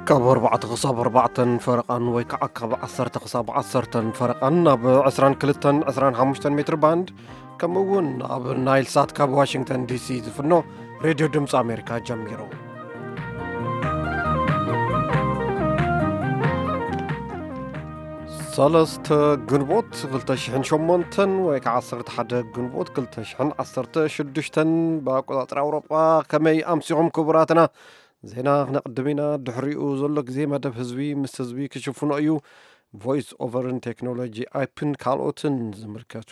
ካብ ኣርባዕተ ክሳብ ኣርባዕተን ፈረቓን ወይ ከዓ ካብ ዓሰርተ ክሳብ ዓሰርተን ፈረቓን ኣብ ዕስራን ክልተን ዕስራን ሓሙሽተን ሜትር ባንድ፣ ከምኡ እውን ኣብ ናይል ሳት ካብ ዋሽንግተን ዲ ሲ ዝፍኖ ሬድዮ ድምፂ ኣሜሪካ ጀሚሩ። ሰለስተ ግንቦት ክልተ ሽሕን ሸሞንተን ወይ ከዓ ዓሰርተ ሓደ ግንቦት ክልተ ሽሕን ዓሰርተ ሽዱሽተን ብኣቆፃፅራ ኣውሮጳ። ከመይ ኣምሲኹም ክቡራትና? ዜና ክነቕድም ኢና። ድሕሪኡ ዘሎ ግዜ መደብ ህዝቢ ምስ ህዝቢ ክሽፍኖ እዩ። ቮይስ ኦቨርን ቴክኖሎጂ ኣፕን ካልኦትን ዝምልከቱ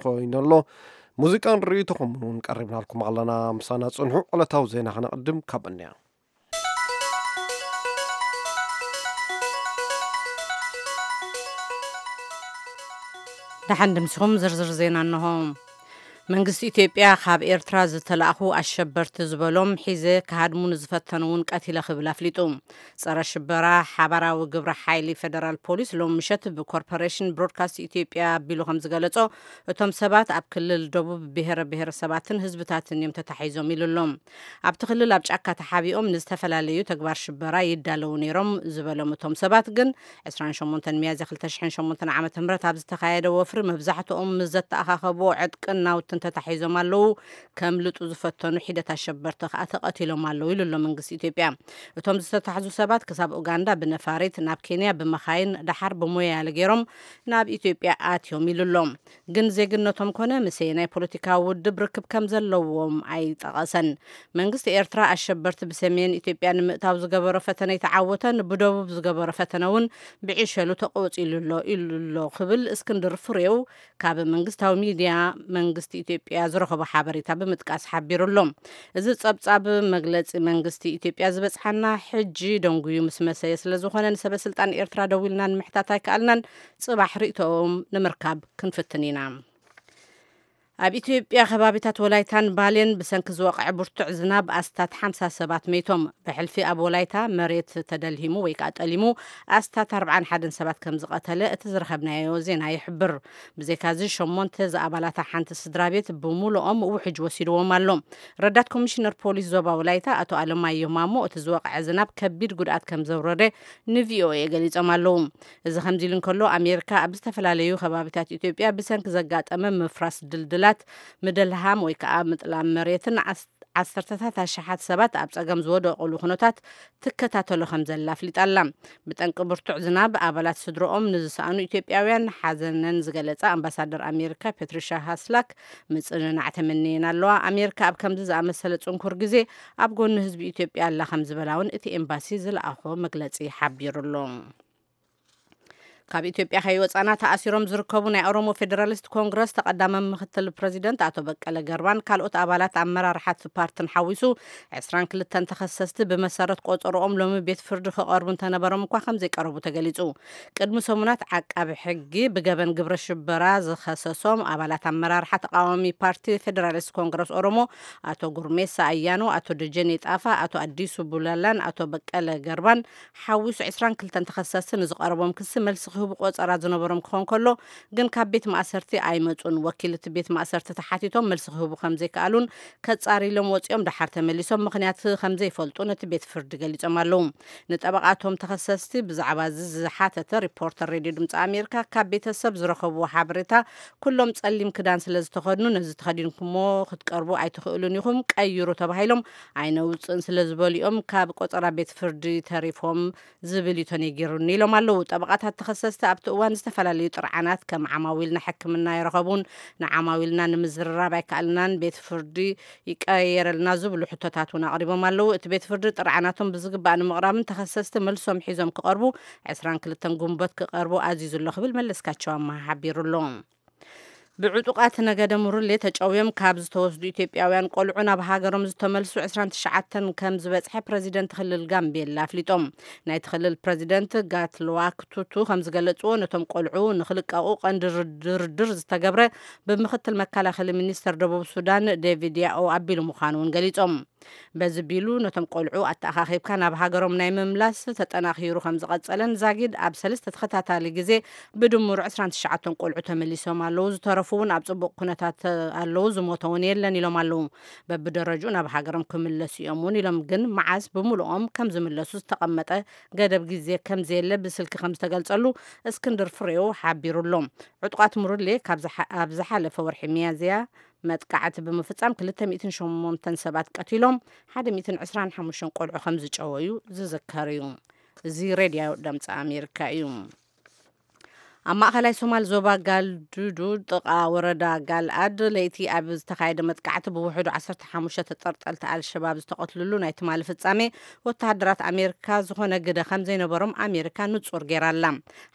ኮይነሎ። ሙዚቃን ርእይቶኹምን እውን ቀሪብናልኩም ኣለና። ምሳና ጽንሑ። ዕለታዊ ዜና ክነቕድም ካብ እንያ። ደሓን ድምስኹም። ዝርዝር ዜና እንሆ። መንግስቲ ኢትዮጵያ ካብ ኤርትራ ዝተላእኹ ኣሸበርቲ ዝበሎም ሒዘ ክሃድሙ ንዝፈተኑ እውን ቀቲለ ክብል ኣፍሊጡ። ጸረ ሽበራ ሓባራዊ ግብረ ሓይሊ ፌደራል ፖሊስ ሎም ምሸት ብኮርፖሬሽን ብሮድካስት ኢትዮጵያ ኣቢሉ ከም ዝገለጾ፣ እቶም ሰባት ኣብ ክልል ደቡብ ብሔረ ብሔረሰባትን ህዝብታትን እዮም ተታሒዞም ኢሉ ኣሎ። ኣብቲ ክልል ኣብ ጫካ ተሓቢኦም ንዝተፈላለዩ ተግባር ሽበራ ይዳለዉ ነይሮም ዝበሎም እቶም ሰባት ግን፣ ዕስራን ሸሞንተን ሚያዝያ ክልተ ሽሕን ሸሞንተን ዓመተ ምህረት ኣብ ዝተኻየደ ወፍሪ መብዛሕትኦም ምስ ዘተኣኻኸብዎ ዕጥቅን ናውትን ተታሒዞም ኣለዉ። ከምልጡ ዝፈተኑ ሒደት ኣሸበርቲ ከኣ ተቐቲሎም ኣለዉ ኢሉ ኣሎ መንግስቲ ኢትዮጵያ። እቶም ዝተታሕዙ ሰባት ክሳብ ኡጋንዳ ብነፋሪት፣ ናብ ኬንያ ብመኻይን፣ ደሓር ብሞያለ ገይሮም ናብ ኢትዮጵያ ኣትዮም ኢሉ ኣሎ። ግን ዜግነቶም ኮነ ምስ ናይ ፖለቲካዊ ውድብ ርክብ ከም ዘለዎም ኣይጠቐሰን። መንግስቲ ኤርትራ ኣሸበርቲ ብሰሜን ኢትዮጵያ ንምእታው ዝገበሮ ፈተነ ኣይተዓወተን፣ ብደቡብ ዝገበሮ ፈተነ እውን ብዕሸሉ ተቆጺሉ ኣሎ ኢሉ ኣሎ ክብል እስክንድር ፍሬው ካብ መንግስታዊ ሚድያ መንግስቲ ኢትዮጵያ ዝረኸቦ ሓበሬታ ብምጥቃስ ሓቢሩ ኣሎ። እዚ ጸብጻብ መግለጺ መንግስቲ ኢትዮጵያ ዝበጽሓና ሕጂ ደንጉዩ ምስ መሰየ ስለ ዝኾነ፣ ንሰበ ስልጣን ኤርትራ ደዊልና ንምሕታት ኣይከኣልናን። ጽባሕ ርእይቶኦም ንምርካብ ክንፍትን ኢና። ኣብ ኢትዮጵያ ከባቢታት ወላይታን ባሌን ብሰንኪ ዝወቕዐ ብርቱዕ ዝናብ ኣስታት ሓምሳ ሰባት መይቶም። ብሕልፊ ኣብ ወላይታ መሬት ተደልሂሙ ወይ ከዓ ጠሊሙ ኣስታት ኣርብዓን ሓደን ሰባት ከም ዝቐተለ እቲ ዝረኸብናዮ ዜና ይሕብር። ብዘይካዚ ሸሞንተ ዝኣባላታ ሓንቲ ስድራ ቤት ብምሉኦም ውሕጅ ወሲድዎም ኣሎ። ረዳት ኮሚሽነር ፖሊስ ዞባ ወላይታ ኣቶ ኣለማየሁ ማሞ እቲ ዝወቕዐ ዝናብ ከቢድ ጉድኣት ከም ዘውረደ ንቪኦኤ ገሊጾም ኣለዉ። እዚ ከምዚ ኢሉ እንከሎ፣ ኣሜሪካ ኣብ ዝተፈላለዩ ከባቢታት ኢትዮጵያ ብሰንኪ ዘጋጠመ ምፍራስ ድልድላት፣ ምድልሃም ወይ ከዓ ምጥላም መሬትን ዓስ-፣ ዓሰርተታት ኣሽሓት ሰባት ኣብ ጸገም ዝወደቑሉ ኩነታት ትከታተሎ ከም ዘላ ኣፍሊጣ ኣላ። ብጠንቂ ብርቱዕ ዝናብ ኣባላት ስድረኦም ንዝሰኣኑ ኢትዮጵያውያን ሓዘነን ዝገለጻ ኣምባሳደር ኣሜሪካ ፔትሪሻ ሃስላክ ምጽንናዕ ተመንየን ኣለዋ። ኣሜሪካ ኣብ ከምዚ ዝኣመሰለ ጽንኩር ግዜ ኣብ ጎኒ ህዝቢ ኢትዮጵያ ኣላ ከም ዝበላ እውን እቲ ኤምባሲ ዝለኣኾ መግለጺ ሓቢሩ ኣሎ። ካብ ኢትዮጵያ ከይወጻና ተኣሲሮም ዝርከቡ ናይ ኦሮሞ ፌዴራሊስት ኮንግረስ ተቐዳማይ ምክትል ፕሬዚደንት ኣቶ በቀለ ገርባን ካልኦት ኣባላት ኣመራርሓ እቲ ፓርትን ሓዊሱ ዕስራን ክልተን ተኸሰስቲ ብመሰረት ቆጸሮኦም ሎሚ ቤት ፍርዲ ክቐርቡ እንተነበሮም እኳ ከም ዘይቀረቡ ተገሊጹ። ቅድሚ ሰሙናት ዓቃቢ ሕጊ ብገበን ግብረ ሽበራ ዝኸሰሶም ኣባላት ኣመራርሓ ተቃዋሚ ፓርቲ ፌዴራሊስት ኮንግረስ ኦሮሞ ኣቶ ጉርሜሳ ኣያኖ፣ ኣቶ ደጀኔ ጣፋ፣ ኣቶ ኣዲሱ ቡላላን ኣቶ በቀለ ገርባን ሓዊሱ ዕስራን ክልተን ተኸሰስቲ ንዝቐረቦም ክሲ መልሲ ክህቡ ቆጸራ ዝነበሮም ክኾን ከሎ፣ ግን ካብ ቤት ማእሰርቲ ኣይመጹን። ወኪል እቲ ቤት ማእሰርቲ ተሓቲቶም መልሲ ክህቡ ከም ዘይከኣሉን ከጻርይሎም ወጺኦም ደሓር ተመሊሶም ምኽንያት ከም ዘይፈልጡ ነቲ ቤት ፍርዲ ገሊጾም ኣለዉ። ንጠበቓቶም ተኸሰስቲ ብዛዕባ እዚ ዝሓተተ ሪፖርተር ሬድዮ ድምፂ ኣሜሪካ ካብ ቤተሰብ ዝረኸብዎ ሓበሬታ፣ ኩሎም ጸሊም ክዳን ስለ ዝተኸድኑ፣ ነዚ ተኸዲንኩሞ ክትቀርቡ ኣይትኽእሉን ኢኹም፣ ቀይሩ ተባሂሎም ኣይነውፅእን ስለ ዝበሉ እዮም ካብ ቆጸራ ቤት ፍርዲ ተሪፎም ዝብል እዩ ተነጊሩኒ ኢሎም ኣለዉ። ጠበቓታት ተኸሰስቲ ኣብቲ እዋን ዝተፈላለዩ ጥርዓናት ከም ዓማዊልና ሕክምና ኣይረኸቡን፣ ንዓማዊልና ንምዝርራብ ኣይከኣልናን፣ ቤት ፍርዲ ይቀየረልና ዝብሉ ሕቶታት እውን ኣቕሪቦም ኣለዉ። እቲ ቤት ፍርዲ ጥርዓናቶም ብዝግባእ ንምቕራብን ተኸሰስቲ መልሶም ሒዞም ክቐርቡ ዕስራን ክልተን ግንቦት ክቐርቡ ኣዚዙ ኣሎ ክብል መለስካቸው ኣመሃ ሓቢሩ ኣሎ። ብዕጡቓት ነገደ ሙርሌ ተጨውዮም ካብ ዝተወስዱ ኢትዮጵያውያን ቆልዑ ናብ ሃገሮም ዝተመልሱ ዕስራን ትሽዓተን ከም ዝበጽሐ ፕረዚደንት ክልል ጋምቤላ ኣፍሊጦም። ናይቲ ክልል ፕረዚደንት ጋትሉዋክ ቱቱ ከም ዝገለጽዎ፣ ነቶም ቆልዑ ንኽልቀቑ ቀንዲ ድርድር ዝተገብረ ብምኽትል መከላኸሊ ሚኒስተር ደቡብ ሱዳን ዴቪድ ያኦ ኣቢሉ ምዃኑ እውን ገሊጾም። በዚ ቢሉ ነቶም ቆልዑ ኣተኣኻኺብካ ናብ ሃገሮም ናይ ምምላስ ተጠናኺሩ ከም ዝቐጸለን ዛጊድ ኣብ ሰለስተ ተኸታታሊ ግዜ ብድምሩ ዕስራን ትሽዓተን ቆልዑ ተመሊሶም ኣለዉ። ዝተረፉ እውን ኣብ ጽቡቕ ኩነታት ኣለዉ። ዝሞተ እውን የለን ኢሎም ኣለዉ። በብደረጅኡ ናብ ሃገሮም ክምለሱ እዮም እውን ኢሎም፣ ግን መዓስ ብምሉኦም ከም ዝምለሱ ዝተቐመጠ ገደብ ግዜ ከም ዘየለ ብስልኪ ከም ዝተገልጸሉ እስክንድር ፍሬው ሓቢሩ ኣሎ። ዕጡቓት ሙርሌ ካብ ዝሓ-፣ ኣብ ዝሓለፈ ወርሒ ሚያዝያ መጥቃዕቲ ብምፍጻም ክልተ ሚእትን ሸሞንተን ሰባት ቀቲሎም፣ ሓደ ሚእትን ዕስራን ሓሙሽተን ቆልዑ ከም ዝጨወዩ ዝዝከር እዩ። እዚ ሬድዮ ድምፂ ኣሜሪካ እዩ። ኣብ ማእኸላይ ሶማል ዞባ ጋልዱዱ ጥቓ ወረዳ ጋልኣድ ለይቲ ኣብ ዝተኻየደ መጥቃዕቲ ብውሕዱ ዓሰርተ ሓሙሽተ ተጠርጠልቲ ኣልሸባብ ዝተቐትልሉ ናይ ትማሊ ፍጻሜ ወተሃደራት ኣሜሪካ ዝኾነ ግደ ከም ዘይነበሮም ኣሜሪካ ንጹር ገይራ ኣላ።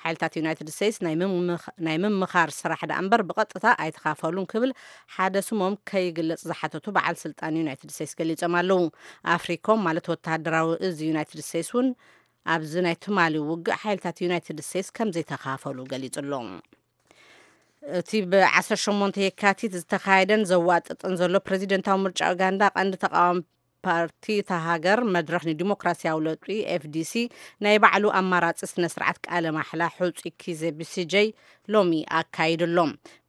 ሓይልታት ዩናይትድ ስቴትስ ናይ ምምኽ-፣ ናይ ምምኻር ስራሕ ደኣ እምበር ብቐጥታ ኣይተኻፈሉን ክብል ሓደ ስሞም ከይግለጽ ዝሓተቱ በዓል ስልጣን ዩናይትድ ስቴትስ ገሊጾም ኣለዉ። ኣፍሪኮም ማለት ወተሃደራዊ እዚ ዩናይትድ ስቴትስ እውን ኣብዚ ናይ ትማሊ ውግእ ሓይልታት ዩናይትድ ስቴትስ ከም ዘይተኻፈሉ ገሊጹ ኣሎ። እቲ ብ ዓሰርተ ሸሞንተ የካቲት ዝተኻየደን ዘዋጥጥን ዘሎ ፕሬዚደንታዊ ምርጫ ኡጋንዳ ቀንዲ ተቃዋሚ ፓርቲ እታ ሃገር መድረኽ ንዲሞክራሲያዊ ለውጢ ኤፍዲሲ ናይ ባዕሉ ኣማራጺ ስነ ስርዓት ቃለ ማሕላ ሕጹይ ኪዘ ቢሲጀይ ሎሚ ኣካይዱ ኣሎ።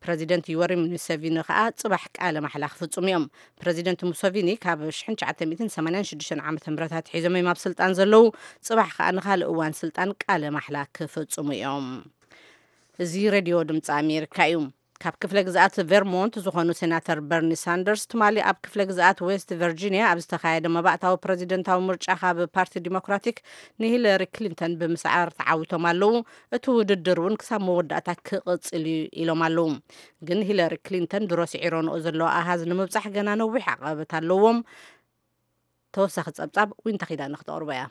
ፕረዚደንት ዩወሪ ሙሴቪኒ ከኣ ጽባሕ ቃለ ማሕላ ክፍጽሙ እዮም። ፕረዚደንት ሙሴቪኒ ካብ ሽሕን ትሽዓተ ሚእትን ሰማንያን ሽዱሽተን ዓመተ ምህረት ኣትሒዞም እዮም ኣብ ስልጣን ዘለዉ። ጽባሕ ከኣ ንኻልእ እዋን ስልጣን ቃለ ማሕላ ክፍጽሙ እዮም። እዚ ሬድዮ ድምፂ ኣሜሪካ እዩ። ካብ ክፍለ ግዝኣት ቬርሞንት ዝኾኑ ሴናተር በርኒ ሳንደርስ ትማሊ ኣብ ክፍለ ግዝኣት ዌስት ቨርጂኒያ ኣብ ዝተኻየደ መባእታዊ ፕረዚደንታዊ ምርጫ ካብ ፓርቲ ዲሞክራቲክ ንሂለሪ ክሊንተን ብምስዓር ተዓዊቶም ኣለዉ። እቲ ውድድር እውን ክሳብ መወዳእታ ክቕጽል እዩ ኢሎም ኣለዉ። ግን ሂለሪ ክሊንተን ድሮ ስዒረንኦ ዘለዋ ኣሃዝ ንምብጻሕ ገና ነዊሕ ዓቐበት ኣለዎም። ተወሳኺ ጸብጻብ ዊንታ ኪዳነ ክተቕርቦ እያ።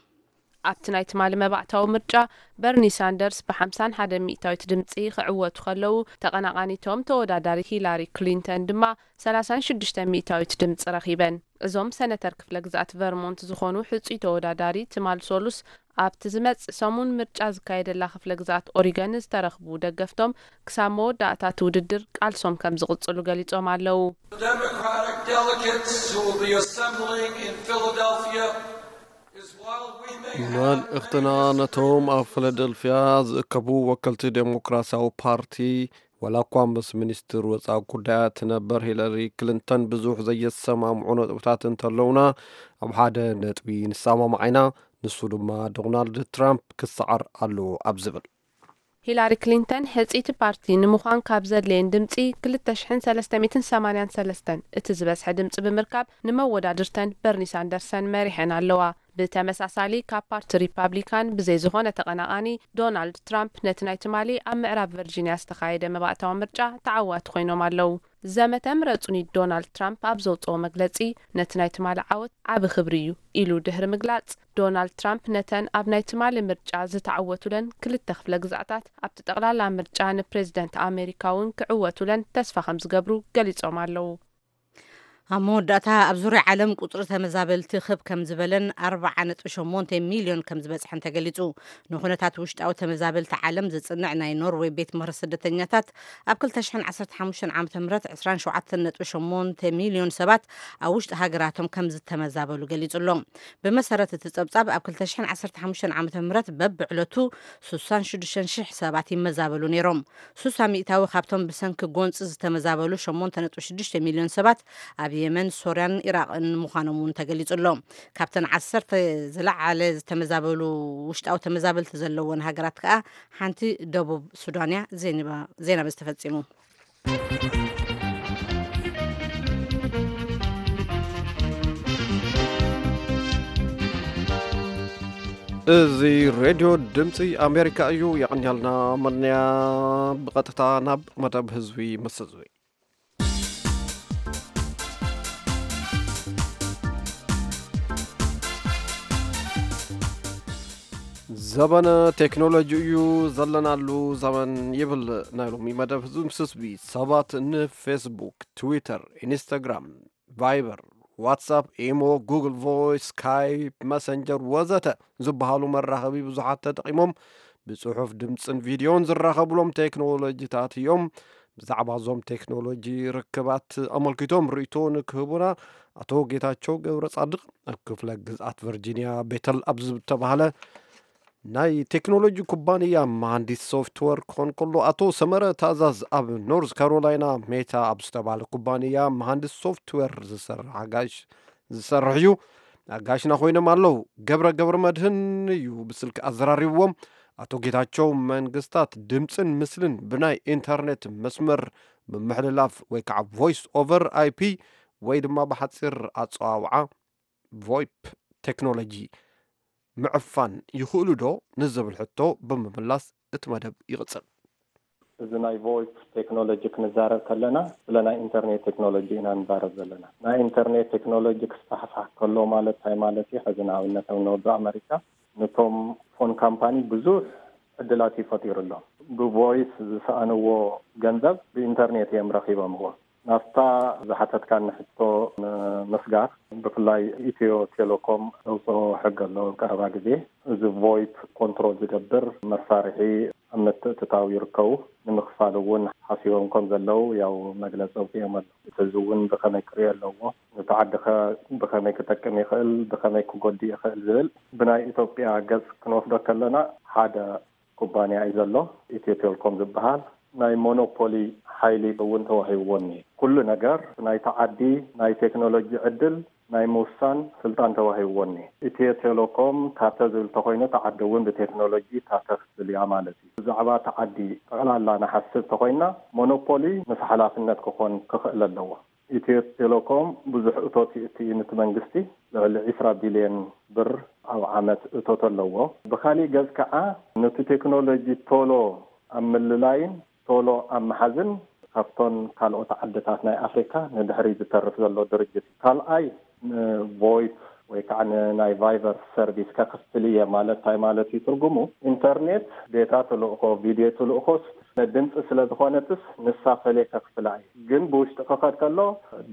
ኣብቲ ናይ ትማሊ መባእታዊ ምርጫ በርኒ ሳንደርስ ብ ሓምሳን ሓደን ሚእታዊት ድምፂ ክዕወቱ ከለዉ፣ ተቐናቓኒቶም ተወዳዳሪት ሂላሪ ክሊንተን ድማ ሰላሳን ሽዱሽተ ሚእታዊት ድምፂ ረኺበን። እዞም ሰነተር ክፍለ ግዝኣት ቨርሞንት ዝኾኑ ሕፁይ ተወዳዳሪ ትማል ሶሉስ ኣብቲ ዝመጽእ ሰሙን ምርጫ ዝካየደላ ክፍለ ግዝኣት ኦሪገን ዝተረኽቡ ደገፍቶም ክሳብ መወዳእታ እቲ ውድድር ቃልሶም ከም ዝቕጽሉ ገሊጾም ኣለዉ። The Democratic delegates who will be assembling in Philadelphia is while we may have መልእኽትና ነቶም ኣብ ፊላደልፊያ ዝእከቡ ወከልቲ ዴሞክራሲያዊ ፓርቲ፣ ዋላ እኳ ምስ ሚኒስትር ወጻኢ ጉዳያት ነበር ሂለሪ ክሊንተን ብዙሕ ዘየሰማምዑ ነጥብታት እንተለውና፣ ኣብ ሓደ ነጥቢ ንሰማማዕ ኢና፣ ንሱ ድማ ዶናልድ ትራምፕ ክሰዓር ኣለዎ ኣብ ዝብል። ሂላሪ ክሊንተን ሕጽይቲ ፓርቲ ንምዃን ካብ ዘድልየን ድምጺ ክልተ ሽሕን ሰለስተ ሚእትን ሰማንያን ሰለስተን እቲ ዝበዝሐ ድምጺ ብምርካብ ንመወዳድርተን በርኒ ሳንደርሰን መሪሐን ኣለዋ። ብተመሳሳሊ ካብ ፓርቲ ሪፓብሊካን ብዘይ ዝኾነ ተቐናቓኒ ዶናልድ ትራምፕ ነቲ ናይ ትማሊ ኣብ ምዕራብ ቨርጂንያ ዝተኻየደ መባእታዊ ምርጫ ተዓዋቲ ኮይኖም ኣለዉ። ዘመተ ምረጹኒ ዶናልድ ትራምፕ ኣብ ዘውጽኦ መግለጺ ነቲ ናይ ትማሊ ዓወት ዓቢ ክብሪ እዩ ኢሉ ድሕሪ ምግላጽ፣ ዶናልድ ትራምፕ ነተን ኣብ ናይ ትማሊ ምርጫ ዝተዓወቱለን ክልተ ክፍለ ግዝኣታት ኣብቲ ጠቕላላ ምርጫ ንፕሬዚደንት ኣሜሪካ እውን ክዕወቱለን ተስፋ ከም ዝገብሩ ገሊጾም ኣለዉ። ኣብ መወዳእታ ኣብ ዙርያ ዓለም ቁጽሪ ተመዛበልቲ ክብ ከም ዝበለን ኣርብዓ ነጥቢ ሸሞንተ ሚልዮን ከም ዝበጽሐን ተገሊጹ። ንኹነታት ውሽጣዊ ተመዛበልቲ ዓለም ዝጽንዕ ናይ ኖርዌይ ቤት ምኽሪ ስደተኛታት ኣብ ክልተ ሽሕን ዓሰርተ ሓሙሽተን ዓመተ ምህረት ዕስራን ሸውዓተን ነጥቢ ሸሞንተ ሚልዮን ሰባት ኣብ ውሽጢ ሃገራቶም ከም ዝተመዛበሉ ገሊጹ ኣሎ። ብመሰረት እቲ ጸብጻብ ኣብ ክልተ ሽሕን ዓሰርተ ሓሙሽተን ዓመተ ምህረት በብዕለቱ ሱሳን ሽዱሽተን ሽሕ ሰባት ይመዛበሉ ነይሮም። ሱሳ ሚእታዊ ካብቶም ብሰንኪ ጎንጺ ዝተመዛበሉ ሸሞንተ ነጥቢ ሽዱሽተ ሚልዮን ሰባት ኣብ የመን፣ ሶርያን ኢራቕን ምዃኖም እውን ተገሊጹ ኣሎ። ካብተን ዓሰርተ ዝለዓለ ዝተመዛበሉ ውሽጣዊ ተመዛበልቲ ዘለወን ሃገራት ከኣ ሓንቲ ደቡብ ሱዳን እያ። ዜና፣ ዜና በዚ ተፈጺሙ። እዚ ሬድዮ ድምፂ ኣሜሪካ እዩ። የቐንያልና መድንያ ብቐጥታ ናብ መደብ ህዝቢ ምስ ህዝቢ። ዘበነ ቴክኖሎጂ እዩ ዘለናሉ ዘመን ይብል ናይ ሎሚ መደብ ህዝቢ ምስ ህዝቢ። ሰባት ንፌስቡክ፣ ትዊተር፣ ኢንስታግራም፣ ቫይበር፣ ዋትሳፕ፣ ኢሞ፣ ጉግል ቮይስ፣ ስካይፕ፣ መሰንጀር ወዘተ ዝበሃሉ መራኸቢ ብዙሓት ተጠቒሞም ብጽሑፍ፣ ድምጽን ቪድዮን ዝራኸብሎም ቴክኖሎጂታት እዮም። ብዛዕባ እዞም ቴክኖሎጂ ርክባት ኣመልኪቶም ርእይቶ ንክህቡና ኣቶ ጌታቸው ገብረ ጻድቕ ኣብ ክፍለ ግዝኣት ቨርጂኒያ ቤተል ኣብ ዝተባህለ ናይ ቴክኖሎጂ ኩባንያ መሃንዲስ ሶፍትዌር ክኾን ከሎ፣ ኣቶ ሰመረ ታዛዝ ኣብ ኖርዝ ካሮላይና ሜታ ኣብ ዝተባህለ ኩባንያ መሃንዲስ ሶፍትዌር ዝሰርሕ ኣጋሽ ዝሰርሕ እዩ። ኣጋሽና ኮይኖም ኣለዉ። ገብረ ገብረ መድህን እዩ ብስልኪ ኣዘራሪብዎም። ኣቶ ጌታቸው መንግስታት ድምፅን ምስልን ብናይ ኢንተርኔት መስመር ብምሕልላፍ ወይ ከዓ ቮይስ ኦቨር ኣይፒ ወይ ድማ ብሓፂር ኣፀዋውዓ ቮይፕ ቴክኖሎጂ ምዕፋን ይኽእሉ ዶ ንዝብል ሕቶ ብምምላስ እቲ መደብ ይቕጽል። እዚ ናይ ቮይፕ ቴክኖሎጂ ክንዛረብ ከለና ስለ ናይ ኢንተርኔት ቴክኖሎጂ ኢና ንዛረብ ዘለና። ናይ ኢንተርኔት ቴክኖሎጂ ክስፋሕፋሕ ከሎ ማለት እንታይ ማለት እዩ? ሕዚ ንኣብነት ኣብ ኖርዝ ኣመሪካ ነቶም ፎን ካምፓኒ ብዙሕ ዕድላት እዩ ፈጢሩሎም። ብቮይስ ዝሰኣንዎ ገንዘብ ብኢንተርኔት እዮም ረኺቦምዎ። ናብታ ዝሓተትካኒ ሕቶ ንምስጋር፣ ብፍላይ ኢትዮ ቴሌኮም ዘውፅኦ ሕጊ ኣሎ ኣብ ቀረባ ግዜ። እዚ ቮይፕ ኮንትሮል ዝገብር መሳርሒ ኣብ ምትእትታው ይርከቡ። ንምኽፋል እውን ሓሲቦም ከም ዘለዉ ያው መግለፂ ኣውፂኦም ኣሎ። እቲ ህዝቢ እውን ብኸመይ ክሪኦ ኣለዎ፣ እቲ ዓዲ ኸ ብኸመይ ክጠቅም ይኽእል፣ ብኸመይ ክጎድእ ይኽእል ዝብል ብናይ ኢትዮጵያ ገፅ ክንወስዶ ከለና ሓደ ኩባንያ እዩ ዘሎ፣ ኢትዮ ቴሌኮም ዝበሃል። ናይ ሞኖፖሊ ሓይሊ እውን ተዋሂብዎ እኒሀ። ኩሉ ነገር ናይቲ ዓዲ ናይ ቴክኖሎጂ ዕድል ናይ ምውሳን ስልጣን ተዋሂብዎ እኒሀ። ኢትዮ ቴሌኮም ታተ ዝብል ተኾይኑ፣ እቲ ዓዲ እውን ብቴክኖሎጂ ታተ ክትብል እያ ማለት እዩ። ብዛዕባ እቲ ዓዲ ጠቕላላ ንሓስብ ተኾይና፣ ሞኖፖሊ ምስ ሓላፍነት ክኾን ክኽእል ኣለዎ። ኢትዮ ቴሌኮም ብዙሕ እቶት ይእቲ እዩ ነቲ መንግስቲ፣ ልዕሊ ዒስራ ቢልዮን ብር ኣብ ዓመት እቶት ኣለዎ። ብኻሊእ ገፅ ከዓ ነቲ ቴክኖሎጂ ቶሎ ኣብ ምልላይን ቶሎ ኣብ ምሓዝን ካብቶን ካልኦት ዓድታት ናይ ኣፍሪካ ንድሕሪ ዝተርፍ ዘሎ ድርጅት እዩ። ካልኣይ ንቮይፕ ወይ ከዓ ንናይ ቫይበር ሰርቪስ ከክፍል እየ ማለት እንታይ ማለት እዩ ትርጉሙ? ኢንተርኔት ዴታ ትልእኮ፣ ቪድዮ ትልእኮስ ድምፂ ስለ ዝኾነትስ ንሳ ፈልየ ከክፍላ እየ። ግን ብውሽጢ ክኸድ ከሎ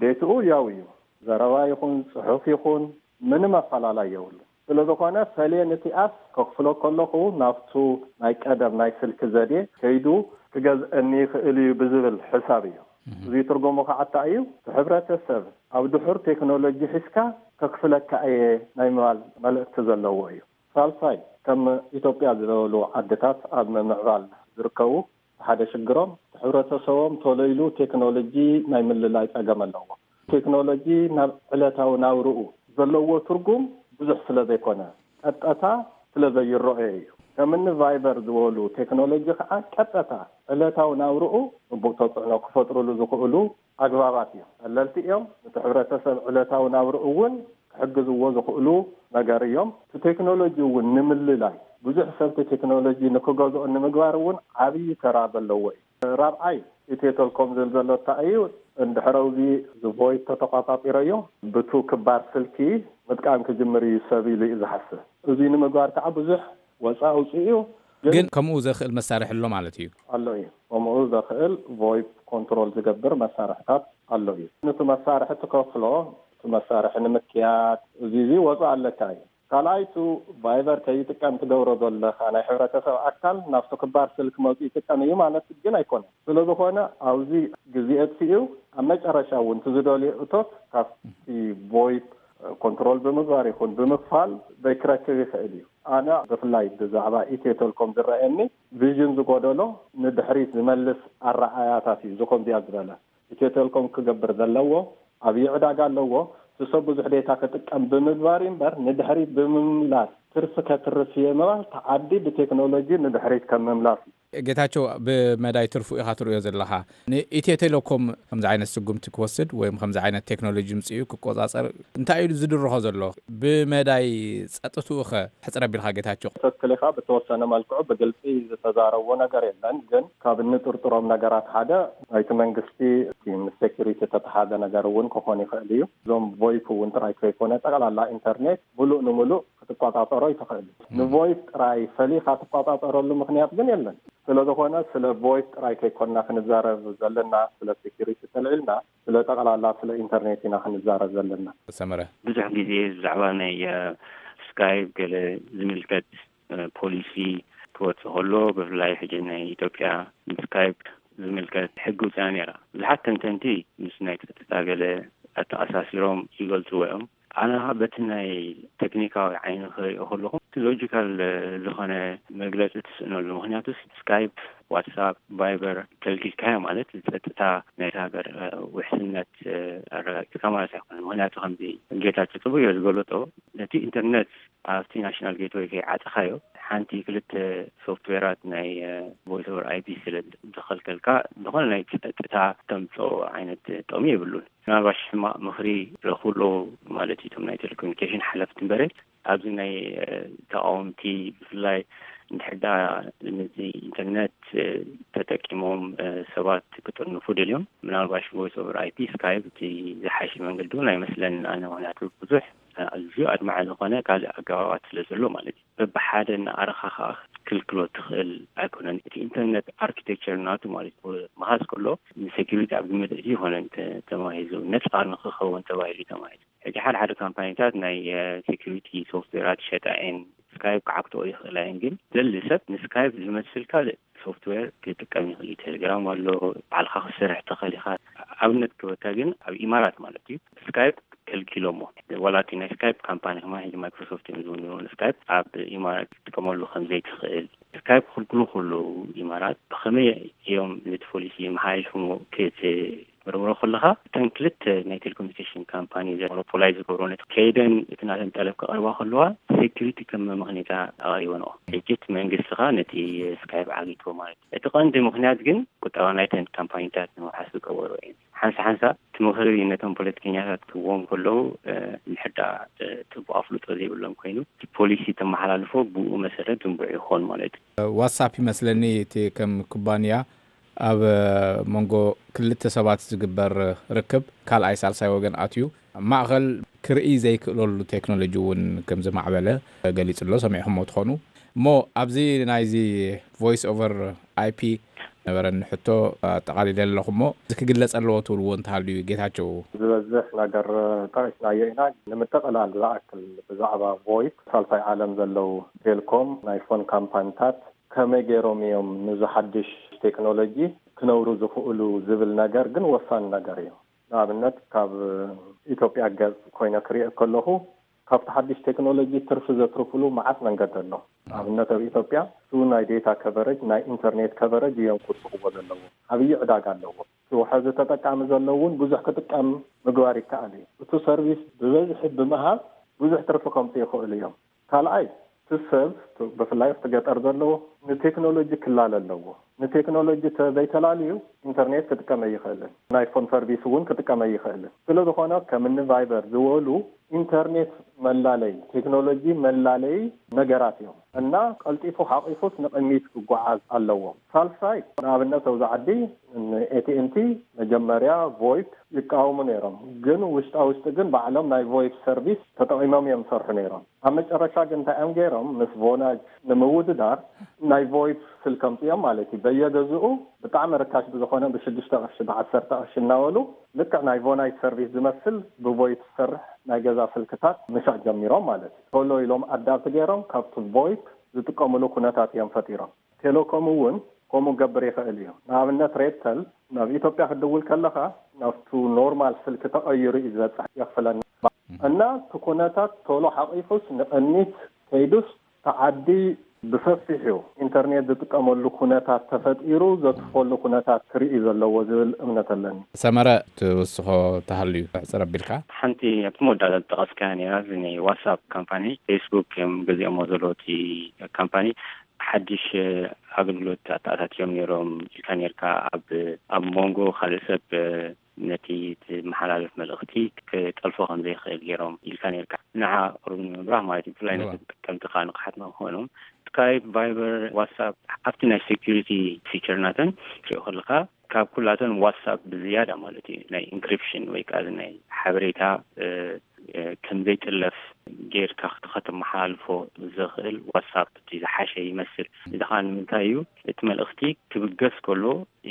ዴትኡ ያው እዩ። ዘረባ ይኹን ፅሑፍ ይኹን ምንም ኣፈላላይ የብሉ። ስለ ዝኾነ ፈልየ ንቲኣስ ከክፍሎ ከለኹ ናብቱ ናይ ቀደም ናይ ስልኪ ዘዴ ከይዱ ክገዝአኒ ይኽእል እዩ ብዝብል ሕሳብ እዩ። እዚ ትርጉሙ ከዓ እንታይ እዩ? እቲ ሕብረተሰብ ኣብ ድሑር ቴክኖሎጂ ሒዝካ ከክፍለካ እየ ናይ ምባል መልእክቲ ዘለዎ እዩ። ሳልሳይ ከም ኢትዮጵያ ዝበሉ ዓድታት ኣብ ምምዕባል ዝርከቡ ሓደ ሽግሮም እቲ ሕብረተሰቦም ቶሎ ኢሉ ቴክኖሎጂ ናይ ምልላይ ፀገም ኣለዎ። ቴክኖሎጂ ናብ ዕለታዊ ናብርኡ ዘለዎ ትርጉም ብዙሕ ስለ ዘይኮነ ቀጥታ ስለ ዘይረኦዮ እዩ። ከምኒ ቫይበር ዝበሉ ቴክኖሎጂ ከዓ ቀጥታ ዕለታዊ ናብርኡ ፅቡቕ ተፅዕኖ ክፈጥርሉ ዝኽእሉ ኣግባባት እዮም። ቀለልቲ እዮም። ነቲ ሕብረተሰብ ዕለታዊ ናብርኡ እውን ክሕግዝዎ ዝኽእሉ ነገር እዮም። እቲ ቴክኖሎጂ እውን ንምልላይ ብዙሕ ሰብ እቲ ቴክኖሎጂ ንክገዝኦ ንምግባር እውን ዓብዪ ተራ ዘለዎ እዩ። ራብዓይ ኢትዮ ቴልኮም ዝብል ዘሎ እንታይ እዩ? እንድሕር ኣብዚ ዝቮይድ ተተቋጻጺረዮ ብቱ ክባር ስልኪ ምጥቃም ክጅምር እዩ ሰብ ኢሉ እዩ ዝሓስብ። እዚ ንምግባር ከዓ ብዙሕ ወፃ ኣውፅኡ እዩ። ግን ከምኡ ዘኽእል መሳርሒ ኣሎ ማለት እዩ። ኣሎ እዩ። ከምኡ ዘኽእል ቮይፕ ኮንትሮል ዝገብር መሳርሕታት ኣሎ እዩ። ነቲ መሳርሒ ትከፍሎ፣ እቲ መሳርሒ ንምክያድ እዚ እዚ ወፃ ኣለካ እዩ። ካልኣይ ቱ ቫይበር ከይጥቀም ትገብሮ ዘለኻ ናይ ሕብረተሰብ ኣካል ናብቲ ክባር ስልክ መፁ ይጥቀም እዩ ማለት ግን ኣይኮነን። ስለዝኾነ ኣብዚ ግዜ እትዩ ኣብ መጨረሻ እውን ትዝደልዮ እቶት ካብቲ ቮይፕ ኮንትሮል ብምግባር ይኹን ብምክፋል ዘይክረክብ ይኽእል እዩ። ኣነ ብፍላይ ብዛዕባ ኢትዮ ቴልኮም ዝረኣየኒ ቪዥን ዝጎደሎ ንድሕሪት ዝመልስ ኣረኣያታት እዩ። ዝኮምዚኣ ዝበለ ኢትዮ ቴልኮም ክገብር ዘለዎ ኣብይ ዕዳጋ ኣለዎ። እቲ ሰብ ብዙሕ ዴታ ክጥቀም ብምግባር እዩ እምበር ንድሕሪት ብምምላስ ትርፊ ከትርፍ እየ ምባል ተዓዲ ብቴክኖሎጂ ንድሕሪት ከም ምምላስ እዩ። ጌታቸው፣ ብመዳይ ትርፉ ኢኻ ትርእዮ ዘለኻ። ንኢትዮ ቴሌኮም ከምዚ ዓይነት ስጉምቲ ክወስድ ወይም ከምዚ ዓይነት ቴክኖሎጂ ምፅኡ ክቆፃፀር እንታይ እዩ ዝድርኾ ዘሎ? ብመዳይ ፀጥትኡ ኸ ሕፅር ኣቢልካ ጌታቸው? ትክክል ኢኻ። ብተወሰነ መልክዑ ብግልፂ ዝተዛረቦ ነገር የለን። ግን ካብ እንጥርጥሮም ነገራት ሓደ ናይቲ መንግስቲ ምስ ሴኩሪቲ ተተሓዘ ነገር እውን ክኾን ይኽእል እዩ። እዞም ቮይፕ እውን ጥራይ ከይኮነ ጠቕላላ ኢንተርኔት ሙሉእ ንሙሉእ ክትቆፃፀሮ ይትኽእል። ንቮይፕ ጥራይ ፈሊኻ ትቆፃፀረሉ ምክንያት ግን የለን። ስለዝኾነ ስለ ቮይፕ ጥራይ ከይኮንና ክንዛረብ ዘለና፣ ስለ ሴኩሪቲ ተልዒልና ስለ ጠቕላላ ስለ ኢንተርኔት ኢና ክንዛረብ ዘለና። ሰመረ። ብዙሕ ግዜ ብዛዕባ ናይ ስካይፕ ገለ ዝምልከት ፖሊሲ ክወፅእ ከሎ ብፍላይ ሕጂ ናይ ኢትዮጵያ ስካይፕ ዝምልከት ሕጊ ውፅያ ነይራ። ብዙሓት ተንተንቲ ምስ ናይ ጸጥታ ገለ ኣተኣሳሲሮም ይገልጽዎ እዮም። ኣነ ኸኣ በቲ ናይ ቴክኒካዊ ዓይኒ ክሪኦ ከለኹ፣ እቲ ሎጂካል ዝኾነ መግለጺ ትስእነሉ። ምኽንያቱስ ስካይፕ፣ ዋትሳፕ፣ ቫይበር ከልኪልካዮ ማለት ጸጥታ ናይታ ሃገር ውሕስነት ኣረጋጊጽካ ማለት ኣይኮነን። ምኽንያቱ ከምዚ ጌታቸው ጽቡቅ ዝገለጾ፣ ነቲ ኢንተርነት ኣብቲ ናሽናል ጌትወይ ከይዓጸኻዮ፣ ሓንቲ ክልተ ሶፍትዌራት ናይ ቮይስ ኦቨር ኣይፒ ስለ ዝኸልከልካ፣ ዝኾነ ናይ ጸጥታ ተምጽኦ ዓይነት ጥቕሚ የብሉን። ምናልባሽ ሕማቕ ምኽሪ ረኽብሎ ማለት እዩ እቶም ናይ ቴሌኮሙኒኬሽን ሓለፍቲ እምበረ፣ ኣብዚ ናይ ተቃወምቲ ብፍላይ እንድሕዳ ነዚ ኢንተርነት ተጠቂሞም ሰባት ክጥርንፉ ደልዮም፣ ምናልባሽ ቮይስ ኦቨር ኣይፒ ስካይፕ እቲ ዝሓሸ መንገዲ እውን ኣይመስለንን ኣነ። ምክንያቱ ብዙሕ ኣዝዩ ኣድማዒ ዝኾነ ካልእ ኣገባባት ስለ ዘሎ ማለት እዩ። በብሓደ እናኣረኻ ከዓ ክትክልክሎ ትኽእል ኣይኮነን። እቲ ኢንተርነት ኣርኪቴክቸር ናቱ ማለት እዩ፣ መሃዝ ከሎ ንሴኪሪቲ ኣብ ግምት እዚ ይኾነ ተማሂዙ፣ ነፃ ንክኸውን ተባሂሉ ተማሂዙ። ሕጂ ሓደ ሓደ ካምፓኒታት ናይ ሴኪሪቲ ሶፍትዌራት ይሸጣ እየን። ስካይፕ ክዓክትኦ ይኽእላ እየን፣ ግን ዘሊ ሰብ ንስካይፕ ዝመስል ካልእ ሶፍትዌር ክጥቀም ይኽእል እዩ። ቴሌግራም ኣሎ፣ ባዕልኻ ክትሰርሕ ትኽእል ኢኻ። ኣብነት ክበካ ግን ኣብ ኢማራት ማለት እዩ፣ ስካይፕ ከልኪሎሞ። ዋላ እቲ ናይ ስካይፕ ካምፓኒ ከማ ሕጂ ማይክሮሶፍት እዮም ዝውንዎ፣ ንስካይፕ ኣብ ኢማራት ክትጥቀመሉ ከም ዘይትኽእል። ስካይፕ ክልክሉ ከለዉ ኢማራት ብኸመይ እዮም ነቲ ፖሊሲ መሓይሾሞ ክትምርምሮ ከለኻ፣ እተን ክልተ ናይ ቴሌኮሙኒኬሽን ካምፓኒ ሞኖፖላይ ዝገብሮ ነቲ ከይደን እቲ ናተን ጠለብ ከቕርባ ከለዋ ሴኪሪቲ ከም መመኽኔታ ኣቕሪበንኦ። ሕጂ እቲ መንግስቲ ኸኣ ነቲ ስካይፕ ዓጊትዎ ማለት እዩ። እቲ ቀንዲ ምኽንያት ግን ቁጠባ ናይተን ካምፓኒታት ንምውሓስ ዝገበሮ እዩ። ሓንሳ ሓንሳ እቲ ምኽሪ ነቶም ፖለቲከኛታት ክህብዎም ከለዉ፣ እ፣ እንድሕር ደኣ፣ እ፣ ጽቡቕ ኣፍልጦ ዘይብሎም ኮይኑ፣ እቲ ፖሊሲ ተመሓላልፎ ብኡ መሰረት ዝንብዑ ይኾኑ ማለት እዩ። ዋትሳፕ ይመስለኒ እቲ ከም ኩባንያ ኣብ መንጎ ክልተ ሰባት ዝግበር ርክብ ካልኣይ ሳልሳይ ወገን ኣትዩ ማእኸል ክርኢ ዘይክእለሉ ቴክኖሎጂ እውን ከም ዝማዕበለ ገሊጹ ኣሎ። ሰሚዕኹሞ ትኾኑ። እሞ ኣብዚ ናይዚ ቮይስ ኦቨር ኣይፒ ነበረኒ ሕቶ ኣጠቓሊለ ኣለኹ። እሞ እዚ ክግለጽ ኣለዎ ትብልዎ እንተሃልዩ ጌታቸው? ዝበዝሕ ነገር ጠቒስናዮ ኢና። ንምጥቕላል ዝኣክል ብዛዕባ ቮይስ ሳልሳይ ዓለም ዘለዉ ቴልኮም ናይ ፎን ካምፓኒታት ከመይ ገይሮም እዮም ነዚ ሓድሽ ቴክኖሎጂ ክነብሩ ዝኽእሉ ዝብል ነገር ግን ወሳኒ ነገር እዩ። ንኣብነት ካብ ኢትዮጵያ ገጽ ኮይነ ክሪኦ ከለኹ ካብቲ ሓድሽ ቴክኖሎጂ ትርፊ ዘትርፍሉ መዓት መንገዲ ኣሎ። ንኣብነት ኣብ ኢትዮጵያ እሱ ናይ ዴታ ከቨረጅ፣ ናይ ኢንተርኔት ከቨረጅ እዮም ክውስኽዎ ዘለዎም። ዓብዪ ዕዳጋ ኣለዎ። እሱ ሕዚ ተጠቃሚ ዘሎ እውን ብዙሕ ክጥቀም ምግባር ይከኣል እዩ። እቱ ሰርቪስ ብበዝሒ ብምሃብ ብዙሕ ትርፊ ከምፅኡ ይኽእሉ እዮም። ካልኣይ እቲ ሰብ ብፍላይ ኣብቲ ገጠር ዘለዎ ንቴክኖሎጂ ክላለ ኣለዎ። ንቴክኖሎጂ ተዘይተላልዩ ኢንተርኔት ክጥቀም ኣይኽእልን። ናይ ፎን ሰርቪስ እውን ክጥቀም ኣይኽእልን። ስለ ዝኾነ ከምኒ ቫይበር ዝበሉ ኢንተርኔት መላለይ፣ ቴክኖሎጂ መላለይ ነገራት እዮም እና ቀልጢፉ ሓቂፉስ ንቕድሚት ክጓዓዝ ኣለዎም። ሳልሳይ ንኣብነት ኣብዚ ዓዲ ኤቲኤንቲ መጀመርያ ቮይፕ ይቃወሙ ነይሮም፣ ግን ውሽጣ ውሽጢ ግን ባዕሎም ናይ ቮይፕ ሰርቪስ ተጠቒሞም እዮም ዝሰርሑ ነይሮም። ኣብ መጨረሻ ግን እንታይ እዮም ገይሮም? ምስ ቮናጅ ንምውድዳር ናይ ቮይፕ ስልክ ኣምፅኦም ማለት እዩ። በየገዝኡ ብጣዕሚ ርካሽ ብዝኾነ ብሽዱሽተ ቅርሺ ብዓሰርተ ቅርሺ እናበሉ ልክዕ ናይ ቮናጅ ሰርቪስ ዝመስል ብቮይፕ ዝሰርሕ ናይ ገዛ ስልክታት ምሻጥ ጀሚሮም ማለት እዩ። ቶሎ ኢሎም ኣዳፕት ገይሮም ካብቲ ቮይፕ ዝጥቀምሉ ኩነታት እዮም ፈጢሮም። ቴሌኮም እውን ከምኡ ክገብር ይኽእል እዩ። ንኣብነት ሬድተል ናብ ኢትዮጵያ ክትድውል ከለኻ ናብቱ ኖርማል ስልኪ ተቐይሩ እዩ ዝበፅሕ የኽፍለና እና እቲ ኩነታት ቶሎ ሓቒፉስ ንቕድሚት ከይዱስ እቲ ዓዲ ብሰፊሑ ኢንተርኔት ዝጥቀመሉ ኩነታት ተፈጢሩ ዘትርፈሉ ኩነታት ክርኢ ዘለዎ ዝብል እምነት ኣለኒ። ሰመረ ትውስኾ ተሃልዩ ሕፅር ኣቢልካ? ሓንቲ ኣብቲ መወዳእታ ዝጠቐስካያ ነይራ፣ እዚ ናይ ዋትሳፕ ካምፓኒ ፌስቡክ እዮም ገዚኦሞ ዘለዉ እቲ ካምፓኒ ሓድሽ ኣገልግሎት ኣተኣታትዮም ነይሮም ኢልካ ነይርካ። ኣብ ኣብ መንጎ ካልእ ሰብ ነቲ ትመሓላለፍ መልእኽቲ ክጠልፎ ከም ዘይኽእል ገይሮም ኢልካ ነይርካ። ንዓ ቅሩብ ንምብራህ ማለት እዩ፣ ብፍላይ ነቲ ተጠቀምቲ ከዓ ንቕሓት ንክኾኖም ስካይፕ፣ ቫይበር፣ ዋትሳፕ ኣብቲ ናይ ሴኩሪቲ ፊቸር ናተን ትሪኦ ከለካ ካብ ኩላተን ዋትሳፕ ብዝያዳ ማለት እዩ ናይ ኢንክሪፕሽን ወይ ከዓ ናይ ሓበሬታ ከም ዘይጥለፍ ጌርካ ከተመሓላልፎ ዘኽእል ዋትሳፕ እቲ ዝሓሸ ይመስል። እዚ ከዓ ንምንታይ እዩ? እቲ መልእኽቲ ክብገስ ከሎ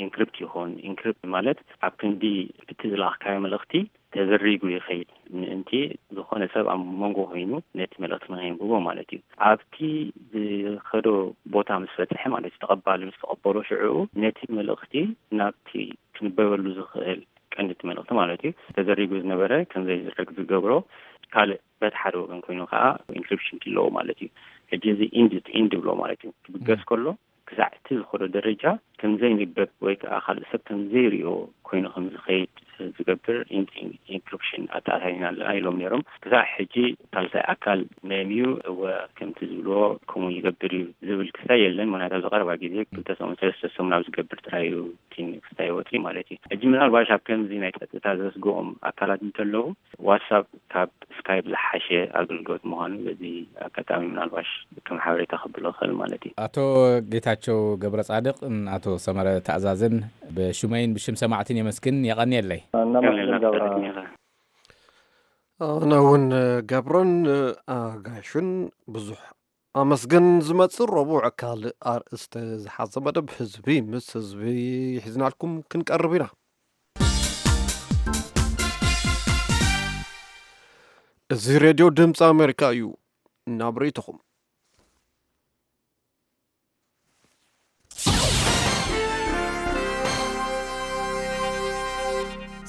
ኢንክሪፕት ይኾን። ኢንክሪፕት ማለት ኣብ ክንዲ እቲ ዝለኣኽካዮ መልእኽቲ ተዘሪጉ ይኸይድ። ምእንቲ ዝኾነ ሰብ ኣብ መንጎ ኮይኑ ነቲ መልእኽቲ ንኸይንብቦ ማለት እዩ። ኣብቲ ዝኸዶ ቦታ ምስ በጽሐ ማለት እዩ፣ ተቐባሊ ምስ ተቐበሎ ሽዕኡ ነቲ መልእኽቲ ናብቲ ክንበበሉ ዝኽእል ቀንዲ እቲ መልእኽቲ ማለት እዩ ተዘሪጉ ዝነበረ ከም ዘይዝረግ ዝገብሮ ካልእ በቲ ሓደ ወገን ኮይኑ ከዓ ኢንክሪፕሽን ኣለዎ ማለት እዩ። ሕጂ እዚ ኢንድ ኢንድ ብሎ ማለት እዩ ክብገስ ከሎ ክሳዕ እቲ ዝኸዶ ደረጃ ከም ዘይንበብ ወይ ከዓ ካልእ ሰብ ከም ዘይሪኦ ኮይኑ ከም ዝኸይድ ዝገብር ኢንክሪፕሽን ኣተኣታቲና ኣለና ኢሎም ነይሮም። ክሳዕ ሕጂ ሳልሳይ ኣካል መን እዩ እወ ከምቲ ዝብልዎ ከምኡ ይገብር እዩ ዝብል ክስታይ የለን። ምክንያቱ ኣብዚ ቀረባ ግዜ ክልተ ሰሙን ሰለስተ ሰሙን ኣብ ዝገብር ጥራይ እዩ እቲ ክስታይ ወፂ ማለት እዩ። ሕጂ ምናልባሽ ኣብ ከምዚ ናይ ፀጥታ ዘስግኦም ኣካላት እንተለዉ ዋትሳፕ ካብ ስካይፕ ዝሓሸ ኣገልግሎት ምዃኑ በዚ ኣጋጣሚ ምናልባሽ ከም ሓበሬታ ከብሎ እኽእል ማለት እዩ። ኣቶ ጌታቸው ገብረ ጻድቅ፣ ኣቶ ሰመረ ተኣዛዝን ብሽመይን ብሽም ሰማዕትን የመስግን። የቐንየለይ። እናመስግን ገብረ። ኣነ እውን ገብረን ኣጋይሹን ብዙሕ ኣመስግን። ዝመጽእ ረቡዕ ካልእ ኣርእስቲ ዝሓዘ መደብ ህዝቢ ምስ ህዝቢ ሒዝናልኩም ክንቀርብ ኢና። እዚ ሬድዮ ድምፂ ኣሜሪካ እዩ። ናብ ርእይቶኹም።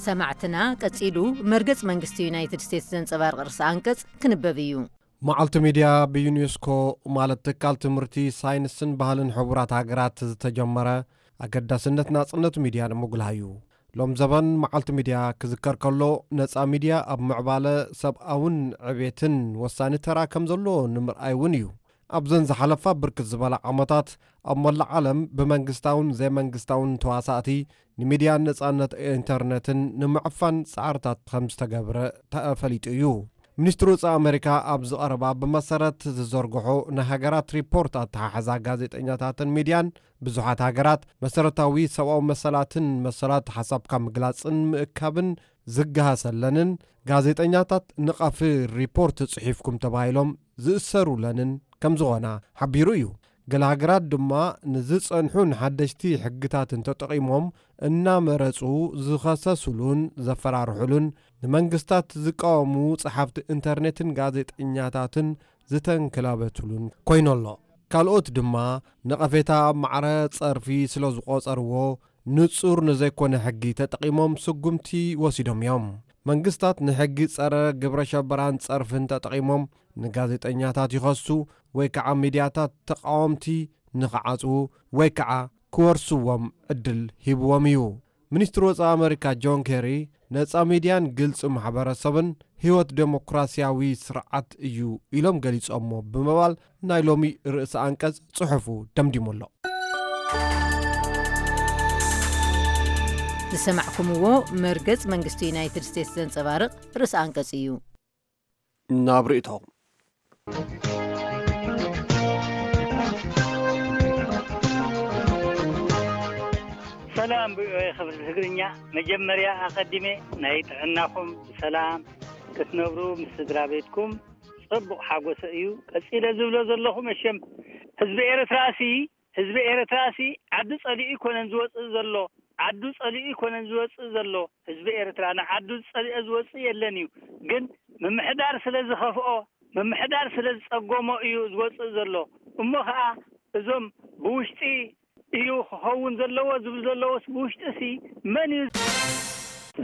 ሰማዕትና፣ ቀጺሉ መርገጽ መንግስቲ ዩናይትድ ስቴትስ ዘንጸባርቕ ርእሰ ኣንቀጽ ክንበብ እዩ። መዓልቲ ሚድያ ብዩኔስኮ ማለት ትካል ትምህርቲ፣ ሳይንስን ባህልን ሕቡራት ሃገራት ዝተጀመረ ኣገዳስነት ናጽነት ሚድያ ንምጉላህ እዩ። ሎም ዘበን መዓልቲ ሚድያ ክዝከር ከሎ ነጻ ሚድያ ኣብ ምዕባለ ሰብኣውን ዕቤትን ወሳኒ ተራ ከም ዘለዎ ንምርኣይ እውን እዩ። ኣብዘን ዝሓለፋ ብርክት ዝበላ ዓመታት ኣብ መላእ ዓለም ብመንግስታውን ዘይመንግስታውን ተዋሳእቲ ንሚድያን ነጻነት ኢንተርነትን ንምዕፋን ጻዕርታት ከም ዝተገብረ ተፈሊጡ እዩ። ሚኒስትሪ ወጻኢ ኣሜሪካ ኣብዚ ቀረባ ብመሰረት ዝዘርግሖ ናይ ሃገራት ሪፖርት ኣተሓሕዛ ጋዜጠኛታትን ሚድያን ብዙሓት ሃገራት መሰረታዊ ሰብኣዊ መሰላትን መሰላት ሓሳብካ ምግላጽን ምእካብን ዝገሃሰለንን ጋዜጠኛታት ንቐፊ ሪፖርት ጽሒፍኩም ተባሂሎም ዝእሰሩለንን ከም ዝኾና ሓቢሩ እዩ። ገለ ሃገራት ድማ ንዝጸንሑ ንሓደሽቲ ሕግታትን ተጠቒሞም እናመረጹ ዝኸሰሱሉን ዘፈራርሑሉን ንመንግስታት ዝቃወሙ ጸሓፍቲ ኢንተርኔትን ጋዜጠኛታትን ዝተንክላበትሉን ኮይኑ ኣሎ። ካልኦት ድማ ነቐፌታ ኣብ ማዕረ ጸርፊ ስለ ዝቖጸርዎ ንጹር ንዘይኮነ ሕጊ ተጠቒሞም ስጉምቲ ወሲዶም እዮም። መንግስታት ንሕጊ ጸረ ግብረ ሸበራን ጸርፍን ተጠቒሞም ንጋዜጠኛታት ይኸሱ ወይ ከዓ ሚድያታት ተቓወምቲ ንኽዓጽዉ ወይ ከዓ ክወርስዎም ዕድል ሂብዎም እዩ። ሚኒስትሪ ወፃኢ ኣመሪካ ጆን ኬሪ ነፃ ሚድያን ግልፂ ማሕበረሰብን ህይወት ዴሞክራሲያዊ ስርዓት እዩ ኢሎም ገሊፆሞ ብምባል ናይ ሎሚ ርእሰ ኣንቀፅ ፅሑፉ ደምዲሙ ኣሎ። ዝሰማዕኩምዎ መርገጽ መንግስቲ ዩናይትድ ስቴትስ ዘንጸባርቕ ርእሰ ኣንቀጽ እዩ። ናብ ርእይቶ ሰላም ብኦኤ ክብል ትግርኛ መጀመርያ ኣቐዲመ ናይ ጥዕናኹም ብሰላም ክትነብሩ ምስ ስድራ ቤትኩም ጽቡቕ ሓጎሰ እዩ። ቀጺለ ዝብሎ ዘለኹ መሸም ህዝቢ ኤርትራሲ ህዝቢ ኤርትራሲ ዓዱ ጸሊኡ ይኮነን ዝወጽእ ዘሎ ዓዱ ጸሊኡ ይኮነን ዝወጽእ ዘሎ ህዝቢ ኤርትራ ንዓዱ ዝጸሊኦ ዝወጽእ የለን እዩ። ግን ምምሕዳር ስለ ዝኸፍኦ ምምሕዳር ስለ ዝጸገሞ እዩ ዝወጽእ ዘሎ። እሞ ኸኣ እዞም ብውሽጢ እዩ ክኸውን ዘለዎ ዝብል ዘለዎስ ብውሽጢ ሲ መን እዩ?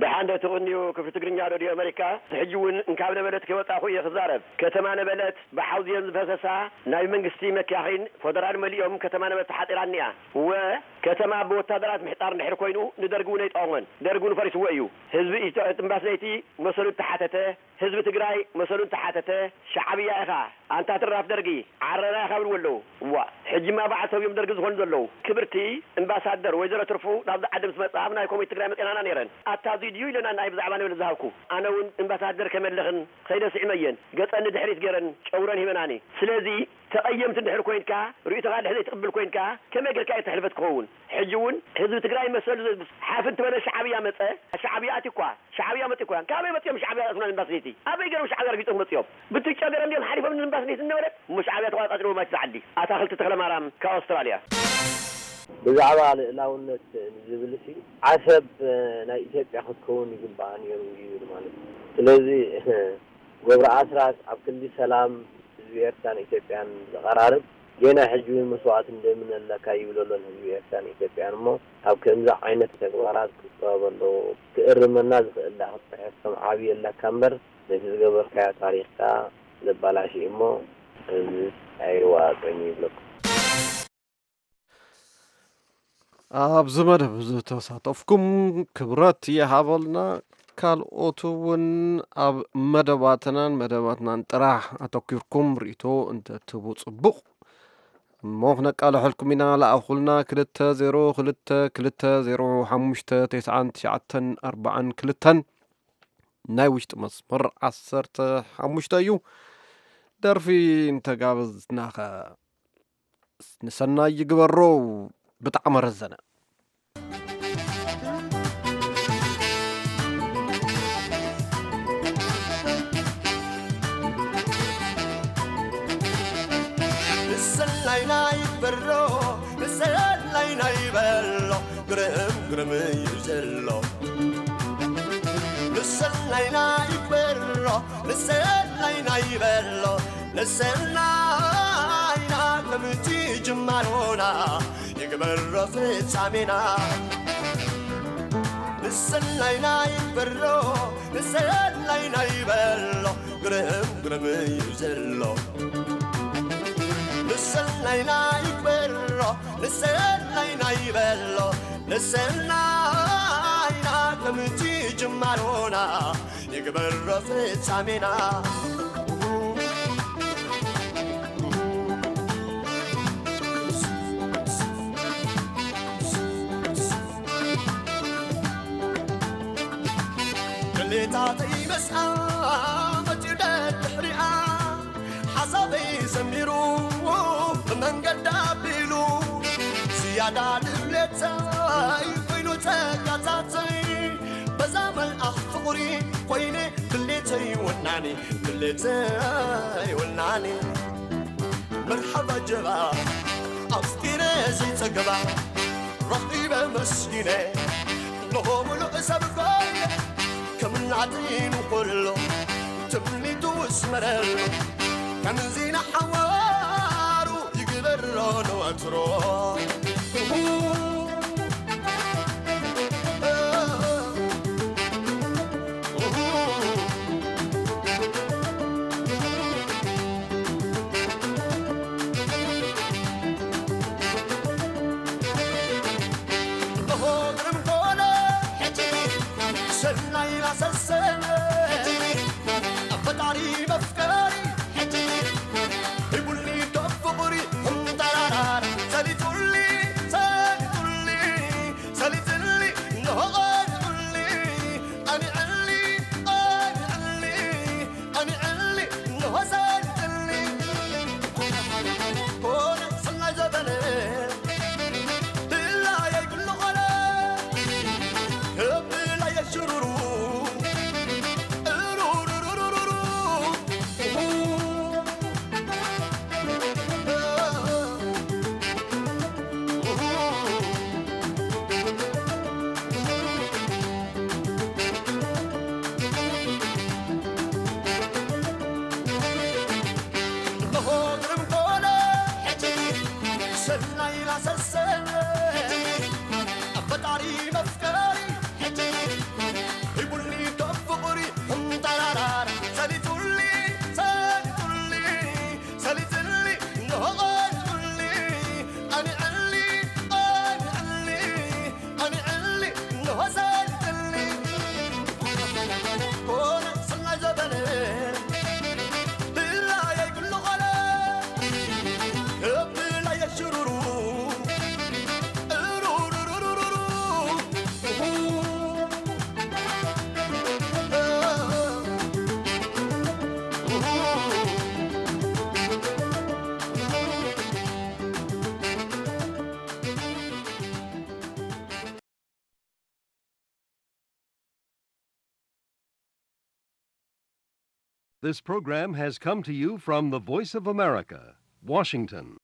ደሓን ዶ ትቕንዩ ክፍሊ ትግርኛ ሬድዮ ኣመሪካ? ሕጂ እውን እንካብ ነበለት ከይወጻኹ እየ ክዛረብ። ከተማ ነበለት ብሓውዝየን ዝፈሰሳ ናይ መንግስቲ መካኺን ፎደራል መሊኦም ከተማ ነበለት ተሓጺራ እኒኣ። እወ ከተማ ብወታደራት ምሕጻር እንድሕር ኮይኑ ንደርጊ እውን ኣይጠቐሞን። ደርጊ እውን ፈሪስዎ እዩ። ህዝቢ ኢትዮ እምባስነይቲ መሰሉ ተሓተተ። ህዝቢ ትግራይ መሰሉ እንተሓተተ ሻዕብያ ኢኻ ኣንታ ትራፍ ደርጊ ዓረና ኢኻ ይብልዎ ኣለዉ። እዋእ ሕጂማ በዓል ሰብዮም ደርጊ ዝኾኑ ዘለዉ። ክብርቲ እምባሳደር ወይዘሮ ትርፉ ናብዚ ዓዲ ምስ መጻ ኣብ ናይ ኮሚት ትግራይ መጺኣናና ነይረን። ኣታ እዙይ ድዩ ኢለና ናይ ብዛዕባ ንብል ዝሃብኩ። ኣነ እውን እምባሳደር ከመልኽን ኸይደ ስዒመየን። ገጸን ንድሕሪት ገይረን ጨጉረን ሂበናኒ። ስለዚ ተቐየምቲ እንድሕር ኮይንካ ርእይቶኻ እንድሕር ዘይትቕብል ኮይንካ ከመይ ጌርካ እየ ተሕልፈት ክኸውን? ሕጂ እውን ህዝቢ ትግራይ መሰሉ ሓፍ እንትበለ ሻዕብያ መጸ። ሻዕብያ ኣትዩ እኳ ሻዕብያ መጺኡ እኳ። ካበይ መጺኦም ሻዕብያ ኣእትውና ንእምባስነይቲ? ኣበይ ገይሮም ሻዕብያ ረጊጾም መጺኦም? ብትጨ ገይሮም ድዮም ሓሊፎም ንእምባስነይቲ እናበለት እሞ ሻዕብያ ተቋጻጺርዎ ማለት ዝዓሊ። ኣታኽልቲ ተኽለማርያም ካብ ኣውስትራልያ። ብዛዕባ ልእላውነት ንዝብል ሲ ዓሰብ ናይ ኢትዮጵያ ክትከውን ይግባኣ ነይሩ ይብል ማለት እዩ። ስለዚ ገብረ ኣስራት ኣብ ክንዲ ሰላም ህዝቢ ኤርትራን ኢትዮጵያን ዘቐራርብ ጌና ሕጂ እውን መስዋእትን ደምን ኣለካ ይብል ኣሎን ህዝቢ ኤርትራን ኢትዮጵያን እሞ ካብ ከምዚ ዓይነት ተግባራት ክቆጠብ ኣለዎ። ክእርመና ዝኽእል ደኣ ክትጽሕፍ ከም ዓብዪ ኣለካ እምበር ነቲ ዝገበርካዮ ታሪኽካ ዘባላሽ እሞ እዚ ኣይዋፅን ይብለኩም። ኣብዚ መደብ ዝተሳተፍኩም ክብረት ይሃበልና። ካልኦት እውን ኣብ መደባትናን መደባትናን ጥራሕ ኣተኪርኩም ርእቶ እንተትህቡ ጽቡቕ እሞ ክነቃልሐልኩም ኢና። ለኣኹልና ክልተ ዜሮ ክልተ ክልተ ዜሮ ሓሙሽተ ተስዓን ትሽዓተን ኣርባዓን ክልተን ናይ ውሽጢ መስመር ዓሰርተ ሓሙሽተ እዩ። ደርፊ እንተጋበዝናኸ ንሰናይ ይግበሮ። ብጣዕሚ ረዘነ። ንሰናይና ይግበሮ ንሰናይና ይበሎ ግርም ግርም እዩ ዘሎ ንሰናይና ይግበሮ ንሰናይና ይበሎ ንሰናይና ከምቲ ጅማሮና ይግበሮ ፍጻሜና ንሰናይና ይግበሮ ንሰናይና ይበሎ ግርም ግርም እዩ ዘሎ ንሰናይና ይግበሮ ንሰናይና ይበሎ ንሰናይና ከምቲ ጅማሮና ይግበሮ ፍጻሜና ድሌታተይ መስኣ መጺኡ ደድሕሪኣ ሓሳበይ ሰሚሩ ብመንገዳ ኣቢሉ ዝያዳ ድሌተይ ኮይኑ ጸጋታተይ በዛ መልኣኽ ፍቕሪ ኮይነ ድሌተይ ወናኒ ድሌተይ ወናኒ መርሓባ ጀባ ኣፍቂረ ዘይጸግባ ረኺበ መስጊነ እንሆ ምሉእ ሰብ ኮይነ ከም ናተይ ንኹሎ ትምኒቱ ስመረሉ ከምዚ ንሓዋሩ ይግበሮ ንወትሮ This program has come to you from the Voice of America, Washington.